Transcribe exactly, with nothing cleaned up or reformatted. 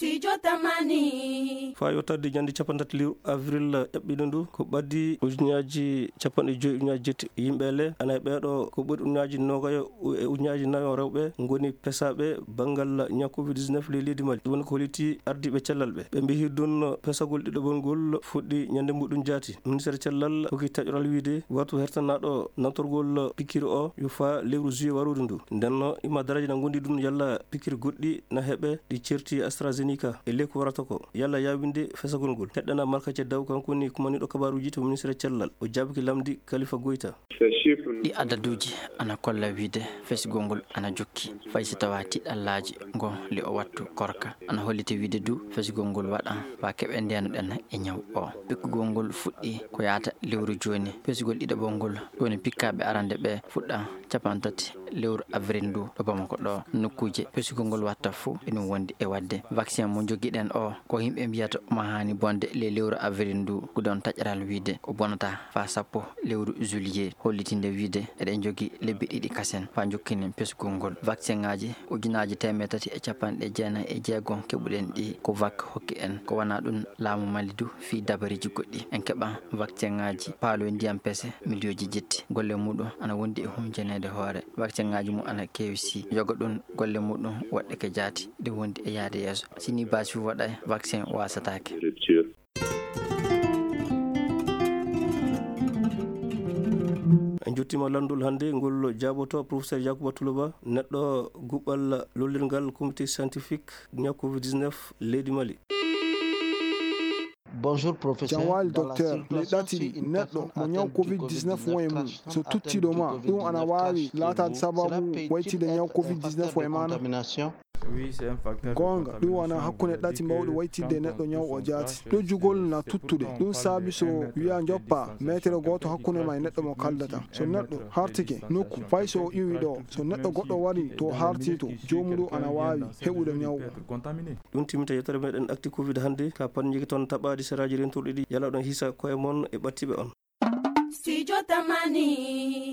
Studio Tamani. Faa yottade ñande capanɗe tati lewru avril eɓɓiɗo ndu, ko ɓaddi ujunnaaji capanɗe joyi ujunnaaji jetti yimɓe le, ana e ɓeeɗo ko ɓuri ujunnaaji noogayo e ujunnaaji nayo rewɓe ngoni pesaaɓe banngal ñaw covid dix-neuf ley leydi Mali. Ɗum woni ko holliti ardiiɓe cellal ɓe. Ɓe mbiyi ɗum pesagol ɗiɗaɓol ngol fuɗɗi ñande muɗum jaati. Ministeer cellal hokki taƴoral wiyde watu hertanaaɗo nantorgol pikiir o yo faa lewru juillet warooru ndu. Nden no ima daraaji na ngondi ɗum yalla pikiir goɗɗi na heɓe ɗi ceerti AstraZeneca e ley ko warata ko yalla yaawinde fesagol ngol. Heɗɗana Marka Ceddaw, kanko woni kumaniiɗo kabaaruuji to ministeer cellal. O jaabiki lamndi Kalifa Goyta. Ɗi adaduuji ana kolla wiyde fesgol ngol ana jokki, fay si tawaa tiɗallaaji ngo le o wattu korka. Ana holliti wiyde du fesgol ngol waɗa faa keɓe ndeenuɗen e ñaw o. Pikkugol ngol fuɗɗi ko yaata lewru jooni. Pesgol ɗiɗaɓol ngol, ɗum woni pikkaaɓe arande ɓe fuɗɗa capanɗe tati lewru avril ndu ɗo Bamako ɗo. Nokkuuje pesgol ngol watta fuu eɗum wondi e waɗde. Vaccin mo njogiɗen o, ko yimɓe mbiyata omo haani bonde ley lewru avril ndu, ko ɗon taƴaral wiyde ko bonata faa sappo lewru juillet, hollitinde wiyde eɗen njogi lebbi ɗiɗi kasen faa njokkinen pesgol ngol. Vaccin ŋaaji ujunaaji teemedde tati e capanɗe jeenayi e jeego keɓuɗen ɗi ko vak hokki en. Ko wonaa ɗum, laamu Mali du fii dabariiji goɗɗi. En keɓa vaccin ŋaaji paaloy ndiyam pese miliyooji jetti. Golle muɗum ana wondi e hunjaneede hoore. Vaccin ŋaaji mum ana keewi si yoga ɗum golle muɗum woɗɗe ke jaati ɗe wondi e yaade yeeso. Si ni baasi waɗay, vaccin waasataake. En jottiima lanndol hannde ngol jaaboto professeur Yaakuba Tuluba, neɗɗo guɓɓal lollirngal comité scientifique ñaw covid dix-neuf leydi Mali. Bonjour professeur. Jam waali docteur. Mi ɗaɗi neɗɗo mo ñaw covid dix-neuf won e mum. So tuttiiɗo ma, ɗum ana waawi laataade sababu waytiinde ñaw covid dix-neuf o e maa na? Goonga, ɗum wona hakkunde ɗati mawɗi waytiinde e neɗɗo ñaw o jaati. Ɗojjugol na tuttude. Ɗum saabi so wiyaa njoppaa meetere gooto hakkunde ma e neɗɗo mo kaaldata. So neɗɗo hartike nokku, fay so o iwii ɗo, so neɗɗo goɗɗo warii to o hartii to, joomum ɗum ana waawi heɓude ñaw o. Ɗum timminta yewtere meɗen Actu Covid hannde. Ka panñiiki ton taɓaadi seraaji rentorɗi ɗi, yalla oɗon hisa koye mon e ɓattiiɓe on. Studio Tamani.